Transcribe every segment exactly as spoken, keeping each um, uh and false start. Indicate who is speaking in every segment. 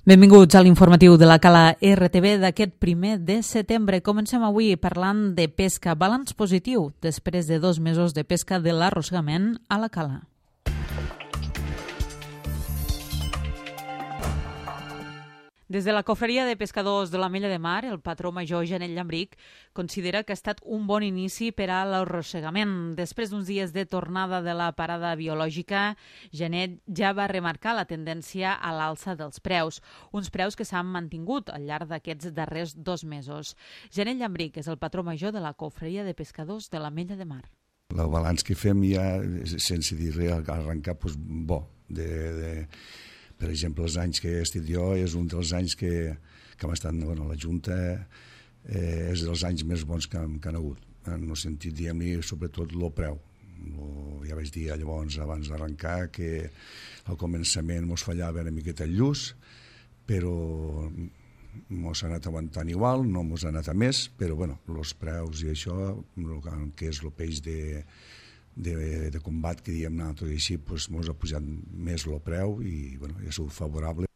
Speaker 1: Benvinguts a l'informatiu de la Cala R T V d'aquest primer de setembre. Comencem avui parlant de pesca. Balanç positiu després de dos mesos de pesca de l'arrossegament a la Cala. Des de la Cofreria de Pescadors de l'Ametlla de Mar, el patró major Janet Llambric considera que ha estat un bon inici per a l'arrossegament. Després d'uns dies de tornada de la parada biològica, Janet ja va remarcar la tendència a l'alça dels preus, uns preus que s'han mantingut al llarg d'aquests darrers dos mesos. Janet Llambric és el patró major de la Cofreria de Pescadors de l'Ametlla de Mar.
Speaker 2: El balanç que fem ja, sense dir res, arrencar doncs, bo, de... de... Per exemple, els anys que he estat jo és un dels anys que, que hem estat bueno, a la Junta, eh, és dels anys més bons que, que han hagut. En el sentit, diguem-ne, sobretot el preu. Lo, ja vaig dir llavors, abans d'arrencar, que al començament ens fallava una miqueta el lluç, però ens ha anat aguantant igual, no ens ha anat a més, però bueno, els preus i això, que és el peix de... De, de combat, que diem, tot i així, doncs, ens ha pujat més el preu i bueno, ha sigut favorable.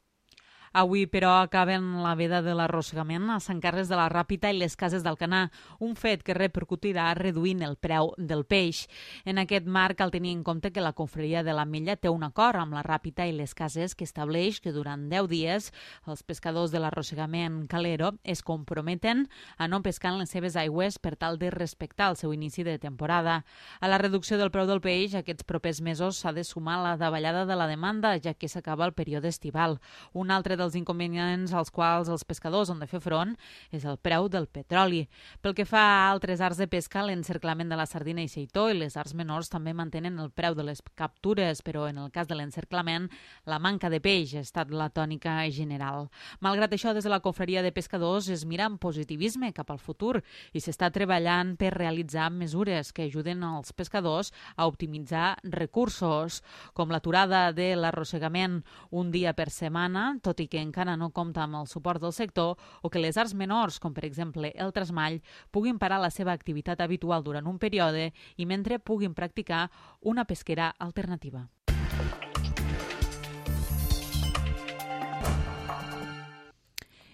Speaker 1: Avui, però, acaben la veda de l'arrossegament a Sant Carles de la Ràpita i les Cases d'Alcanar, un fet que repercutirà reduint el preu del peix. En aquest marc cal tenir en compte que la Confraria de l'Ametlla té un acord amb la Ràpita i les Cases que estableix que durant deu dies els pescadors de l'arrossegament calero es comprometen a no pescar en les seves aigües per tal de respectar el seu inici de temporada. A la reducció del preu del peix, aquests propers mesos s'ha de sumar la davallada de la demanda, ja que s'acaba el període estival. Un altre dels inconvenients als quals els pescadors han de fer front és el preu del petroli. Pel que fa a altres arts de pesca, l'encerclament de la sardina i seitó i les arts menors també mantenen el preu de les captures, però en el cas de l'encerclament, la manca de peix ha estat la tònica general. Malgrat això, des de la Cofreria de Pescadors es mira amb positivisme cap al futur i s'està treballant per realitzar mesures que ajuden als pescadors a optimitzar recursos, com l'aturada de l'arrossegament un dia per setmana, tot i que encara no compta amb el suport del sector, o que les arts menors, com per exemple el trasmall, puguin parar la seva activitat habitual durant un període i mentre puguin practicar una pesquera alternativa.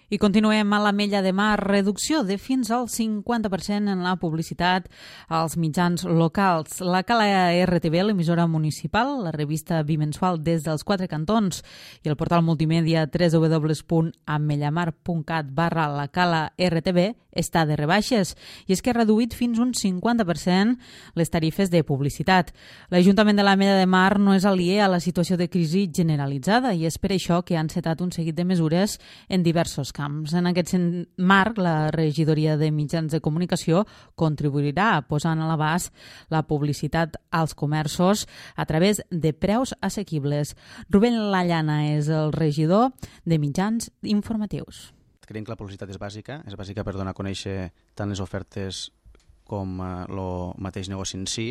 Speaker 1: I continuem a l'Ametlla de Mar, reducció de fins al cinquanta per cent en la publicitat als mitjans locals. La Cala R T V, l'emissora municipal, la revista bimensual des dels quatre cantons i el portal multimèdia w w w punt amellamar punt cat barra la Cala R T V està de rebaixes i és que ha reduït fins un cinquanta per cent les tarifes de publicitat. L'Ajuntament de l'Ametlla de Mar no és aliè a la situació de crisi generalitzada i és per això que han encetat un seguit de mesures en diversos camps. En aquest marc, la regidoria de mitjans de comunicació contribuirà posant a l'abast la publicitat als comerços a través de preus assequibles. Rubén Lallana és el regidor de mitjans informatius.
Speaker 3: Creiem que la publicitat és bàsica, és bàsica per donar a conèixer tant les ofertes com el mateix negoci en si,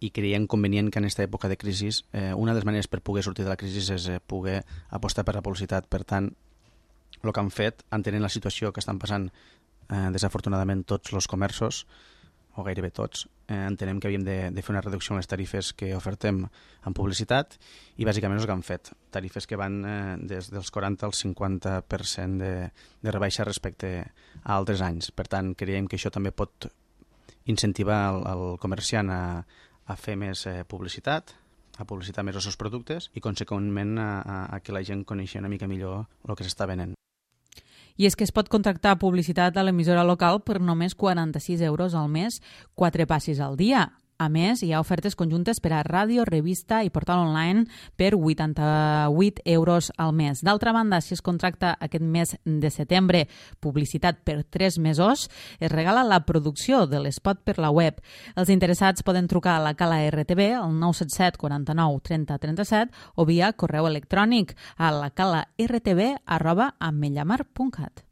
Speaker 3: i creiem convenient que en aquesta època de crisi eh, una de les maneres per poder sortir de la crisi és eh, poder apostar per la publicitat. Per tant, el que han fet, entenent la situació que estan passant eh, desafortunadament tots els comerços, o gairebé tots, eh, entenem que havíem de, de fer una reducció en les tarifes que ofertem en publicitat i bàsicament és el que han fet. Tarifes que van eh, des dels quaranta al cinquanta per cent de, de rebaixa respecte a altres anys. Per tant, creiem que això també pot incentivar el, el comerciant a, a fer més eh, publicitat, a publicitar més els seus productes i, conseqüentment, a, a, a que la gent coneixi una mica millor el que s'està venent.
Speaker 1: I és que es pot contractar publicitat a l'emissora local per només quaranta-sis euros al mes, quatre passis al dia. A més, hi ha ofertes conjuntes per a ràdio, revista i portal online per vuitanta-vuit euros al mes. D'altra banda, si es contracta aquest mes de setembre publicitat per tres mesos, es regala la producció de l'espot per la web. Els interessats poden trucar a la Cala R T V al nou set set quaranta-nou trenta trenta-set o via correu electrònic a la cala r t v arroba amellamar punt cat.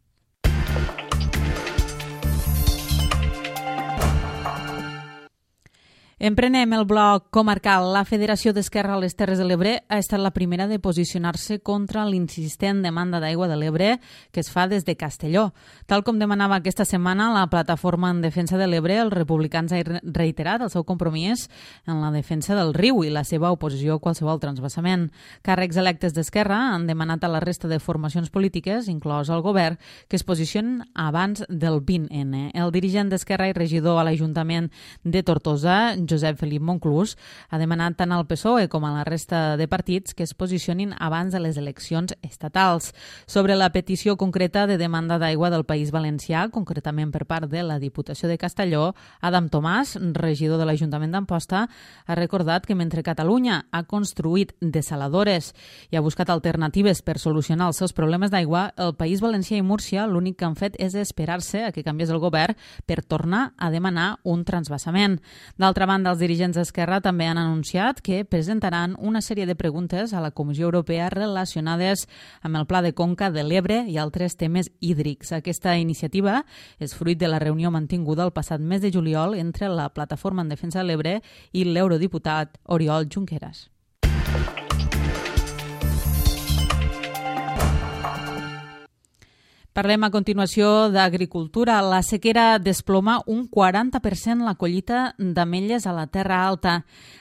Speaker 1: Emprenem el bloc comarcal. La Federació d'Esquerra a les Terres de l'Ebre ha estat la primera de posicionar-se contra l'insistent demanda d'aigua de l'Ebre que es fa des de Castelló. Tal com demanava aquesta setmana la plataforma en defensa de l'Ebre, els republicans han reiterat el seu compromís en la defensa del riu i la seva oposició a qualsevol transvasament. Càrrecs electes d'Esquerra han demanat a la resta de formacions polítiques, inclòs el govern, que es posicionin abans del vint ene. El dirigent d'Esquerra i regidor a l'Ajuntament de Tortosa, Josep Felip Monclús, ha demanat tant al P S O E com a la resta de partits que es posicionin abans de les eleccions estatals. Sobre la petició concreta de demanda d'aigua del País Valencià, concretament per part de la Diputació de Castelló, Adam Tomàs, regidor de l'Ajuntament d'Amposta, ha recordat que mentre Catalunya ha construït desaladores i ha buscat alternatives per solucionar els seus problemes d'aigua, el País Valencià i Múrcia l'únic que han fet és esperar-se a que canviés el govern per tornar a demanar un transvasament. D'altra banda, els dirigents d'Esquerra també han anunciat que presentaran una sèrie de preguntes a la Comissió Europea relacionades amb el Pla de Conca de l'Ebre i altres temes hídrics. Aquesta iniciativa és fruit de la reunió mantinguda el passat mes de juliol entre la Plataforma en Defensa de l'Ebre i l'eurodiputat Oriol Junqueras. Parlem a continuació d'agricultura. La sequera desploma un quaranta per cent la collita d'ametlles a la Terra Alta.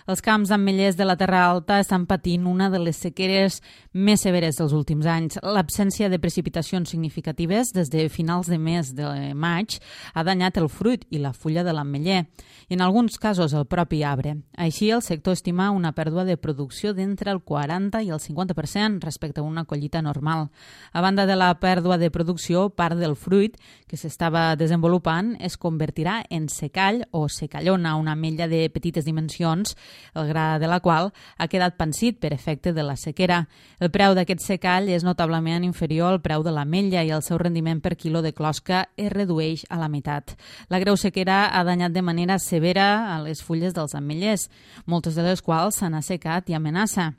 Speaker 1: Els camps d'ametllers de la Terra Alta estan patint una de les sequeres més severes dels últims anys. L'absència de precipitacions significatives des de finals de mes de maig ha danyat el fruit i la fulla de l'ametller, i en alguns casos el propi arbre. Així, el sector estima una pèrdua de producció d'entre el quaranta i el cinquanta per cent respecte a una collita normal. A banda de la pèrdua de producció, part del fruit que s'estava desenvolupant es convertirà en secall o secallona, una ametlla de petites dimensions, el gra de la qual ha quedat pansit per efecte de la sequera. El preu d'aquest secall és notablement inferior al preu de l'ametlla i el seu rendiment per quilo de closca es redueix a la meitat. La greu sequera ha danyat de manera severa a les fulles dels ametllers, moltes de les quals s'han assecat i amenaça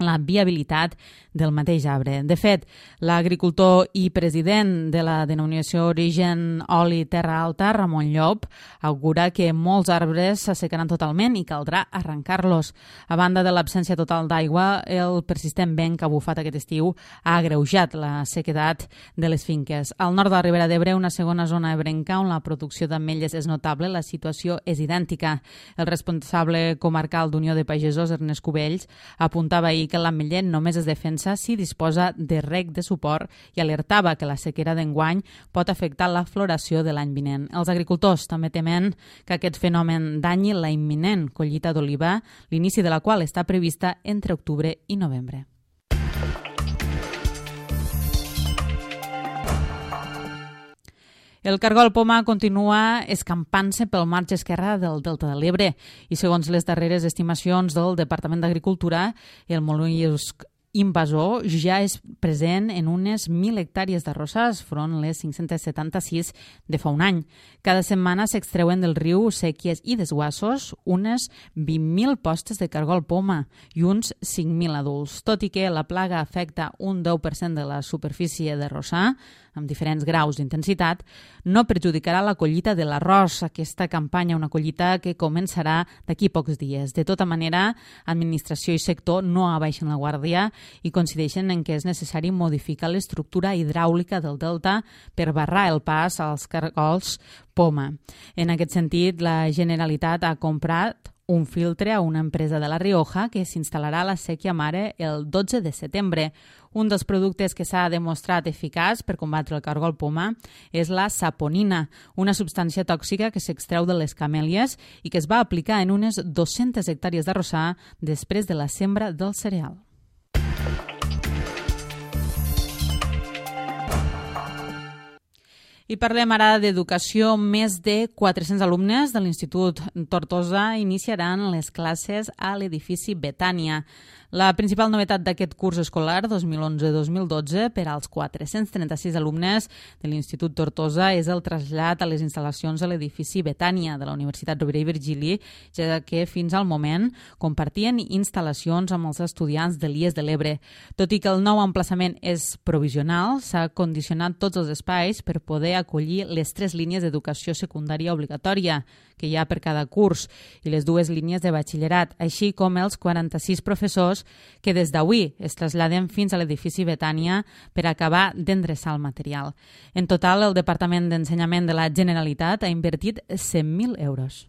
Speaker 1: la viabilitat del mateix arbre. De fet, l'agricultor i president de la denominació Origen Oli Terra Alta, Ramon Llop, augura que molts arbres s'assecaran totalment i caldrà arrencar-los. A banda de l'absència total d'aigua, el persistent vent que ha bufat aquest estiu ha agreujat la sequedat de les finques. Al nord de la Ribera d'Ebre, una segona zona ebrenca on la producció d'ametlles és notable, la situació és idèntica. El responsable comarcal d'Unió de Pagesos, Ernest Cubells, apuntava ahir que l'ametller només es defensa si disposa de reg de suport i alertava que la sequera d'enguany pot afectar la floració de l'any vinent. Els agricultors també temen que aquest fenomen danyi la imminent collita d'oliva, l'inici de la qual està prevista entre octubre i novembre. El cargol poma continua escampant-se pel marge esquerre del Delta de l'Ebre i, segons les darreres estimacions del Departament d'Agricultura, el mol·lusc invasor ja és present en unes mil hectàrees d'arrossars, front les cinc-cents setanta-sis de fa un any. Cada setmana s'extreuen del riu sèquies i desguassos unes vint mil postes de cargol poma i uns cinc mil adults. Tot i que la plaga afecta un deu per cent de la superfície d'arrossar, amb diferents graus d'intensitat, no perjudicarà la collita de l'arròs, aquesta campanya, una collita que començarà d'aquí pocs dies. De tota manera, administració i sector no abaixen la guàrdia i coincideixen en què és necessari modificar l'estructura hidràulica del delta per barrar el pas als cargols poma. En aquest sentit, la Generalitat ha comprat un filtre a una empresa de La Rioja que s'instal·larà a la sèquia mare el dotze de setembre. Un dels productes que s'ha demostrat eficaç per combatre el cargol poma és la saponina, una substància tòxica que s'extreu de les camèlies i que es va aplicar en unes dues-centes hectàrees d'arrossar després de la sembra del cereal. I parlem ara d'educació. Més de quatre-cents alumnes de l'Institut Tortosa iniciaran les classes a l'edifici Betània. La principal novetat d'aquest curs escolar dos mil onze dos mil dotze per als quatre-cents trenta-sis alumnes de l'Institut Tortosa és el trasllat a les instal·lacions a l'edifici Betània de la Universitat Rovira i Virgili, ja que fins al moment compartien instal·lacions amb els estudiants de l'I E S de l'Ebre. Tot i que el nou emplaçament és provisional, s'ha condicionat tots els espais per poder acollir les tres línies d'educació secundària obligatòria que hi ha per cada curs i les dues línies de batxillerat, així com els quaranta-sis professors que des d'avui es traslladen fins a l'edifici Betània per acabar d'endreçar el material. En total, el Departament d'Ensenyament de la Generalitat ha invertit cent mil euros.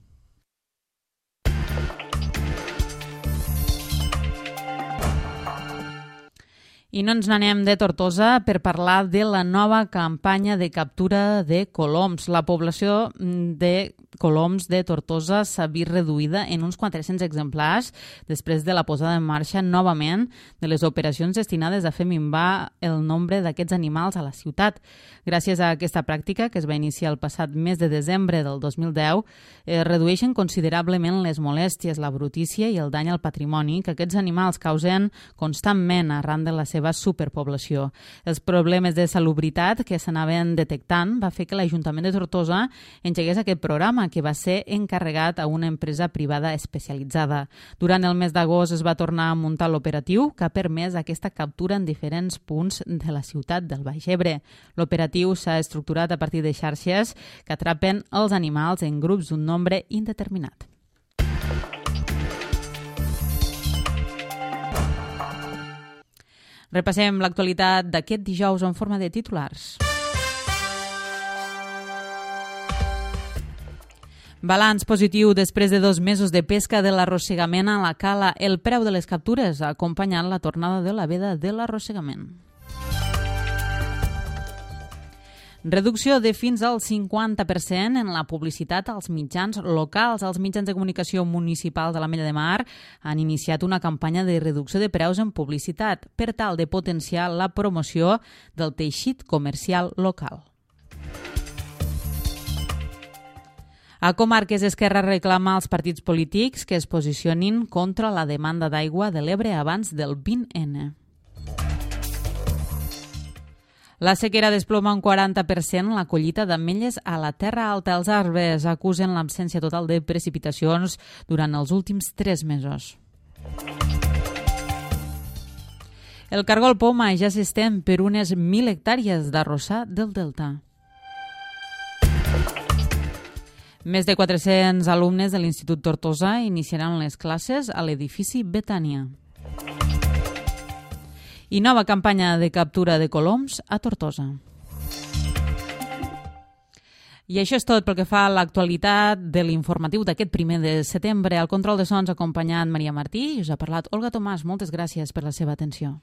Speaker 1: I no ens n'anem de Tortosa per parlar de la nova campanya de captura de coloms. La població de coloms de Tortosa s'ha vist reduïda en uns quatre-cents exemplars després de la posada en marxa novament de les operacions destinades a fer minvar el nombre d'aquests animals a la ciutat. Gràcies a aquesta pràctica, que es va iniciar el passat mes de desembre del dos mil deu, es redueixen considerablement les molèsties, la brutícia i el dany al patrimoni que aquests animals causen constantment arran de la seva superpoblació. Els problemes de salubritat que s'anaven detectant va fer que l'Ajuntament de Tortosa engegués aquest programa, que va ser encarregat a una empresa privada especialitzada. Durant el mes d'agost es va tornar a muntar l'operatiu, que ha permès aquesta captura en diferents punts de la ciutat del Baix Ebre. L'operatiu s'ha estructurat a partir de xarxes que atrapen els animals en grups d'un nombre indeterminat. Repassem l'actualitat d'aquest dijous en forma de titulars. Balanç positiu després de dos mesos de pesca de l'arrossegament a la cala. El preu de les captures ha acompanyat la tornada de la veda de l'arrossegament. Reducció de fins al cinquanta per cent en la publicitat als mitjans locals. Els mitjans de comunicació municipals de l'Ametlla de Mar han iniciat una campanya de reducció de preus en publicitat per tal de potenciar la promoció del teixit comercial local. A Comarques, Esquerra reclama als partits polítics que es posicionin contra la demanda d'aigua de l'Ebre abans del vint ene. La sequera desploma un quaranta per cent la collita d'ametlles a la Terra Alta. Els arbres acusen l'absència total de precipitacions durant els últims tres mesos. El cargol poma ja s'estén per unes mil hectàrees d'arrossar del Delta. Més de quatre-cents alumnes de l'Institut Tortosa iniciaran les classes a l'edifici Betània. I nova campanya de captura de coloms a Tortosa. I això és tot pel que fa a l'actualitat de l'informatiu d'aquest primer de setembre. Al control de sons ha acompanyat Maria Martí i us ha parlat Olga Tomàs. Moltes gràcies per la seva atenció.